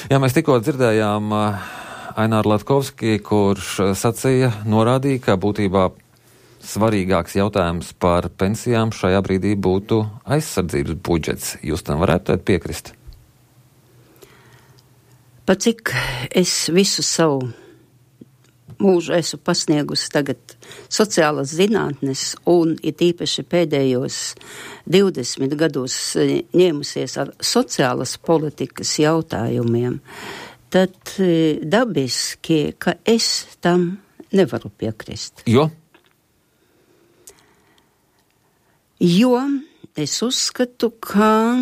Jā, mēs tikko dzirdējām Aināru Latkovski, kurš norādīja, ka būtībā svarīgāks jautājums par pensijām šajā brīdī būtu aizsardzības budžets. Jūs tam varētu piekrist? Pat cik es visu savu mūžu esmu pasniegusi tagad sociālas zinātnes un it īpaši pēdējos 20 gados ņēmusies ar sociālas politikas jautājumiem, tad dabiski, ka es tam nevaru piekrist. Jo es uzskatu, ka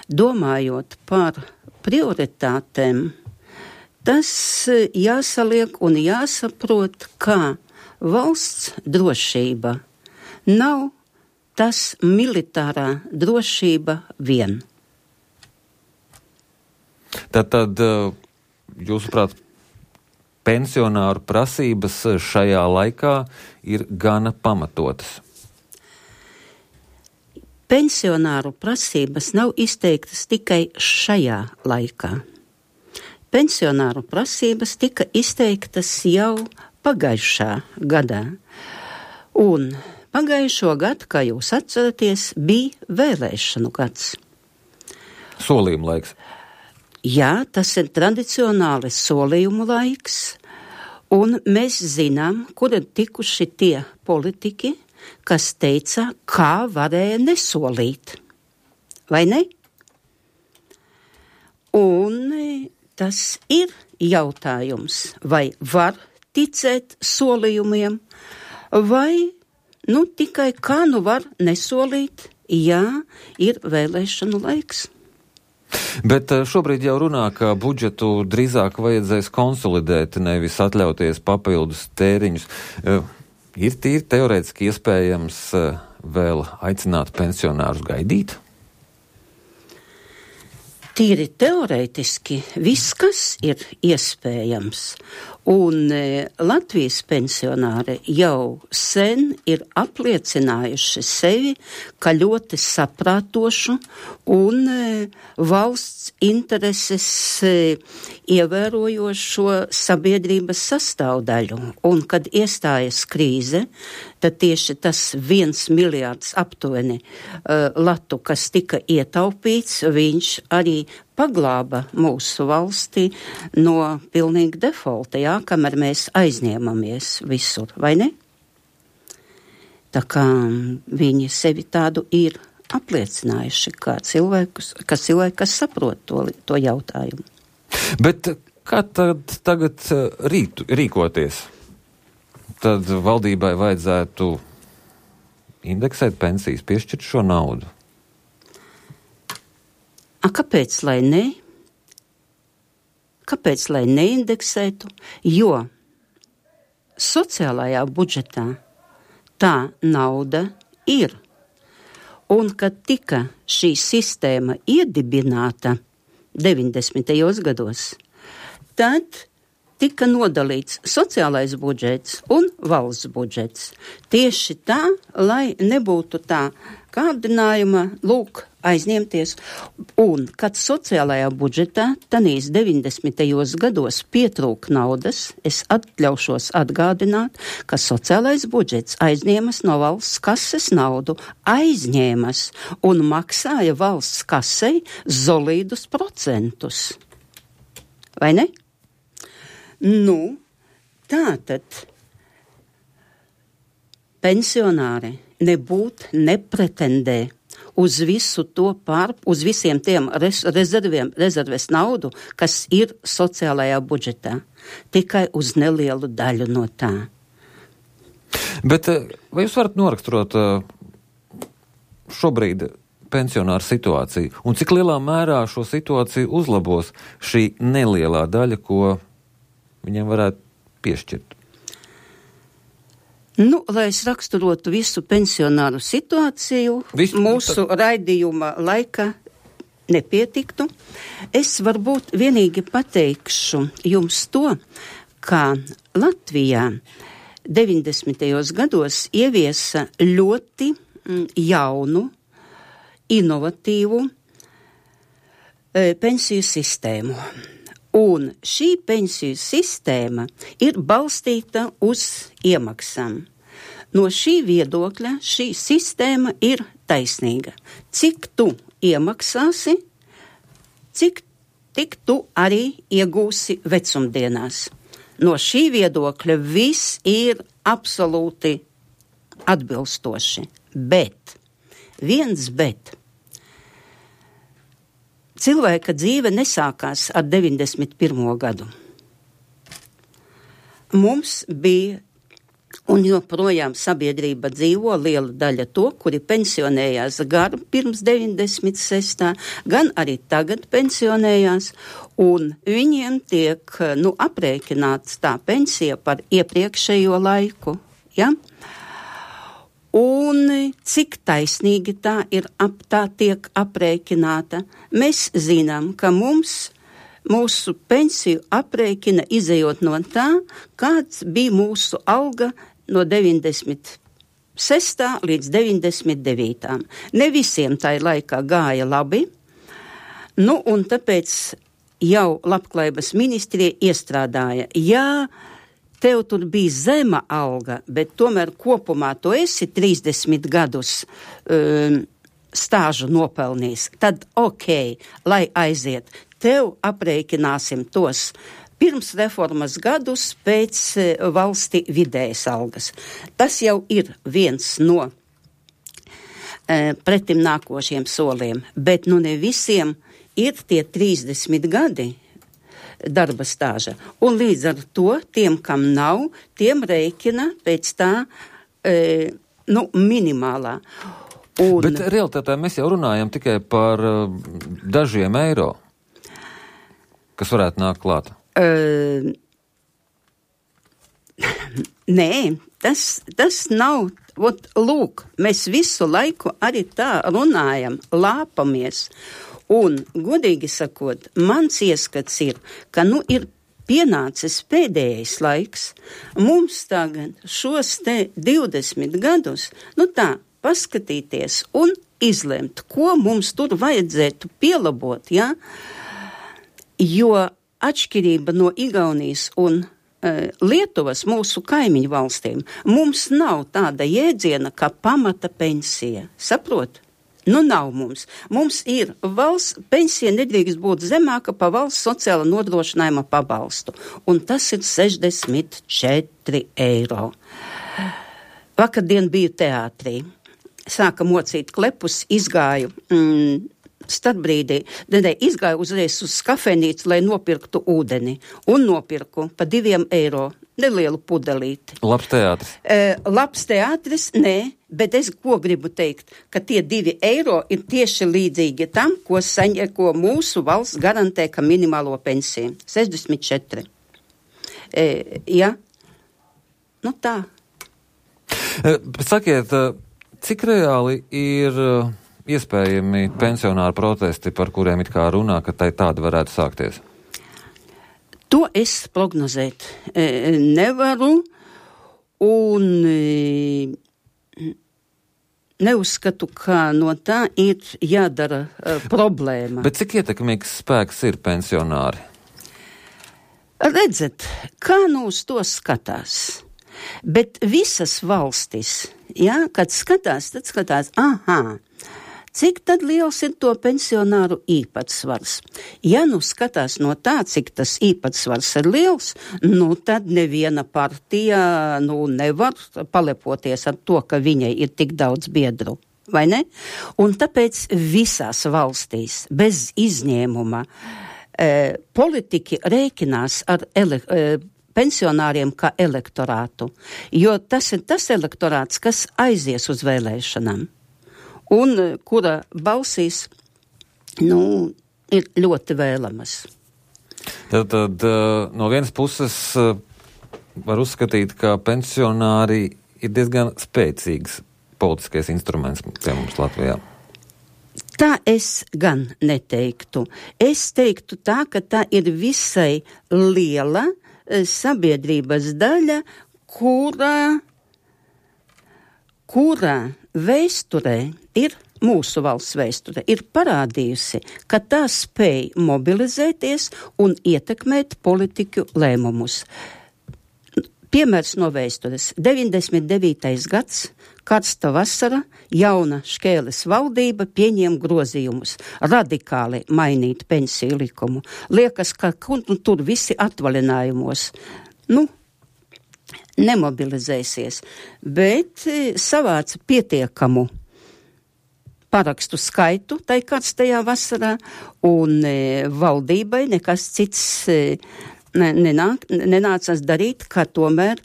domājot par prioritātēm, tas jāsaliek un jāsaprot, ka valsts drošība nav tas militārā drošība vien. Tad jūsuprāt, pensionāru prasības šajā laikā ir gana pamatotas? Pensionāru prasības nav izteiktas tikai šajā laikā. Pensionāru prasības tika izteiktas jau pagājušā gadā. Un pagājušo gadu, kā jūs atceraties, bija vēlēšanu gads. Solījuma laiks. Jā, tas ir tradicionāli solījumu laiks, un mēs zinām, kur ir tikuši tie politiķi, kas teica, kā varēja nesolīt. Vai ne? Un tas ir jautājums, vai var ticēt solījumiem, vai tikai kā var nesolīt, ja ir vēlēšanu laiks. Bet šobrīd jau runā, ka budžetu drīzāk vajadzēs konsolidēt, nevis atļauties papildus tēriņus. Ir tīri teorētiski iespējams vēl aicināt pensionārus gaidīt? Tīri teorētiski viss, kas ir iespējams. Un Latvijas pensionāri jau sen ir apliecinājuši sevi, ka ļoti saprātošu un valsts intereses ievērojošo sabiedrības sastāvdaļu. Un kad iestājas krīze, tad tieši tas 1 miljārds aptuveni latu, kas tika ietaupīts, viņš arī paglāba mūsu valsti no pilnīgi defaulta, kamēr mēs aizņēmamies visur, vai ne? Tā kā viņi sevi tādu ir apliecinājuši kā cilvēki, kas saprot to jautājumu. Bet kā tad tagad rīkoties? Tad valdībai vajadzētu indeksēt pensijas, piešķirt šo naudu? Kāpēc lai ne? Kāpēc lai neindeksētu? Jo sociālajā budžetā tā nauda ir. Un kad tika šī sistēma iedibināta 90. gados, tad tika nodalīts sociālais budžets un valsts budžets. Tieši tā, lai nebūtu tā kārdinājuma, aizņemties. Un, kad sociālajā budžetā tanīs 90. gados pietrūk naudas, es atļaušos atgādināt, ka sociālais budžets aizņēmas no valsts kases naudu, aizņēmas un maksāja valsts kasei solīdus procentus. Vai ne? Tātad pensionāri nepretendē uz visu to uz visiem tiem rezerves naudu, kas ir sociālajā budžetā, tikai uz nelielu daļu no tā. Bet vai jūs varat noraksturot šobrīd pensionāru situāciju, un cik lielā mērā šo situāciju uzlabos šī nelielā daļa, ko viņiem varētu piešķirt? Lai es raksturotu visu pensionāru situāciju, mūsu raidījuma laika nepietiktu. Es varbūt vienīgi pateikšu jums to, ka Latvijā 90. gados ieviesa ļoti jaunu, inovatīvu pensiju sistēmu. Un šī pensiju sistēma ir balstīta uz iemaksām. No šī viedokļa šī sistēma ir taisnīga. Cik tu iemaksāsi, tik tu arī iegūsi vecumdienās. No šī viedokļa viss ir absolūti atbilstoši. Bet, cilvēka dzīve nesākās ar 91. gadu. Mums bija, un joprojām sabiedrība dzīvo liela daļa to, kuri pensionējās gan pirms 96. gan arī tagad pensionējās, un viņiem tiek, aprēķināts tā pensija par iepriekšējo laiku, ja? Un cik taisnīgi tā tiek aprēķināta, mēs zinām, ka mūsu pensiju aprēķina izejot no tā, kāds bija mūsu alga no 96. līdz 99. Ne visiem tai laikā gāja labi, un tāpēc jau Labklājības ministrija iestrādāja, tev tur bija zema alga, bet tomēr kopumā tu esi 30 gadus stāžu nopelnījis, tad lai aiziet, tev aprēķināsim tos pirms reformas gadus pēc valsti vidējas algas. Tas jau ir viens no pretim nākošiem soliem, bet ne visiem ir tie 30 gadi darba stāža. Un līdz ar to tiem, kam nav, tiem rēķina pēc tā minimālā. Bet realitātē mēs jau runājam tikai par dažiem eiro, kas varētu nākt klāt. Nē, tas nav. Lūk, mēs visu laiku arī tā runājam, lāpamies. Un, godīgi sakot, mans ieskats ir, ka ir pienācis pēdējais laiks mums tagad šos te 20 gadus, paskatīties un izlemt, ko mums tur vajadzētu pielabot, ja? Jo atšķirība no Igaunijas un Lietuvas, mūsu kaimiņu valstīm, mums nav tāda jēdziena, kā pamata pensija. Saprot? Nav mums. Mums ir valsts pensija nedrīkst būt zemāka pa valsts sociāla nodrošinājuma pabalstu. Un tas ir 64 eiro. Vakardien biju teātrī. Sāka mocīt klepus, izgāju starpbrīdī, izgāju uzreiz uz kafejnīcu, lai nopirktu ūdeni. Un nopirku pa 2 eiro nelielu pudelīti. Labs teātris. Labs teātris, nē, bet es ko gribu teikt, ka tie 2 eiro ir tieši līdzīgi tam, ko mūsu valsts garantē, ka minimālo pensiju. 64. Ja? Tā. Sakiet, cik reāli ir iespējami pensionāru protesti, par kuriem it kā runā, ka tādi varētu sākties? To es prognozēt nevaru un neuzskatu, ka no tā ir jādara problēma. Bet cik ietekmīgs spēks ir pensionāri? Redzat, kā uz to skatās. Bet visas valstis, kad skatās, tad skatās, cik tad liels ir to pensionāru īpatsvars? Ja skatās no tā, cik tas īpatsvars ir liels, tad neviena partija nevar palepoties ar to, ka viņai ir tik daudz biedru, vai ne? Un tāpēc visās valstīs, bez izņēmuma, politiķi rēķinās ar pensionāriem kā elektorātu, jo tas ir tas elektorāts, kas aizies uz vēlēšanām. Un kura balsīs, ir ļoti vēlamas. Tad no vienas puses var uzskatīt, ka pensionāri ir diezgan spēcīgs politiskais instruments pie mums Latvijā. Tā es gan neteiktu. Es teiktu tā, ka tā ir visai liela sabiedrības daļa, kura vēsturē ir mūsu valsts vēsture ir parādījusi, ka tā spēj mobilizēties un ietekmēt politiku lēmumus. Piemērs no vēstures. 99. gads, karsta vasara, jauna Škēles valdība pieņem grozījumus, radikāli mainīt pensiju likumu. Liekas, ka tur visi atvaļinājumos, nemobilizēsies, bet savāca pietiekamu parakstu skaitu tai karstajā vasarā, un valdībai nekas cits nenācās darīt, kā tomēr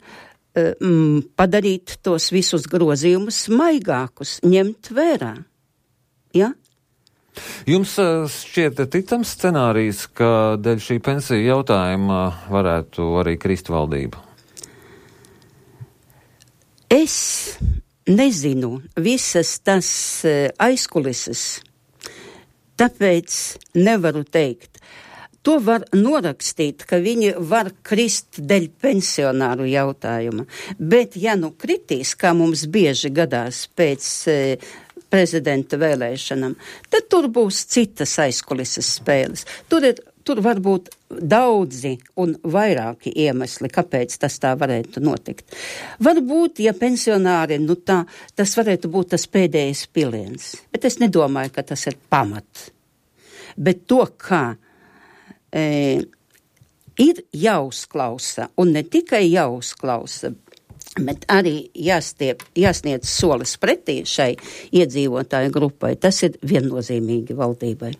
padarīt tos visus grozījumus maigākus, ņemt vērā. Ja? Jums šķiet ticams scenārijs, ka dēļ šī pensiju jautājuma varētu arī krist valdība? Es nezinu visas tas aizkulises, tāpēc nevaru teikt. To var norakstīt, ka viņi var krist dēļ pensionāru jautājuma, bet ja kritīs, kā mums bieži gadās pēc prezidenta vēlēšanām, tad tur būs citas aizkulises spēles. Tur var būt daudzi un vairāki iemesli, kāpēc tas tā varētu notikt. Varbūt, ja pensionāri, tas varētu būt tas pēdējais piliens, bet es nedomāju, ka tas ir pamat. Bet to, kā ir jāuzklausa, un ne tikai jāuzklausa, bet arī jāsniedz solis pretī šai iedzīvotāju grupai, tas ir viennozīmīgi valdībai.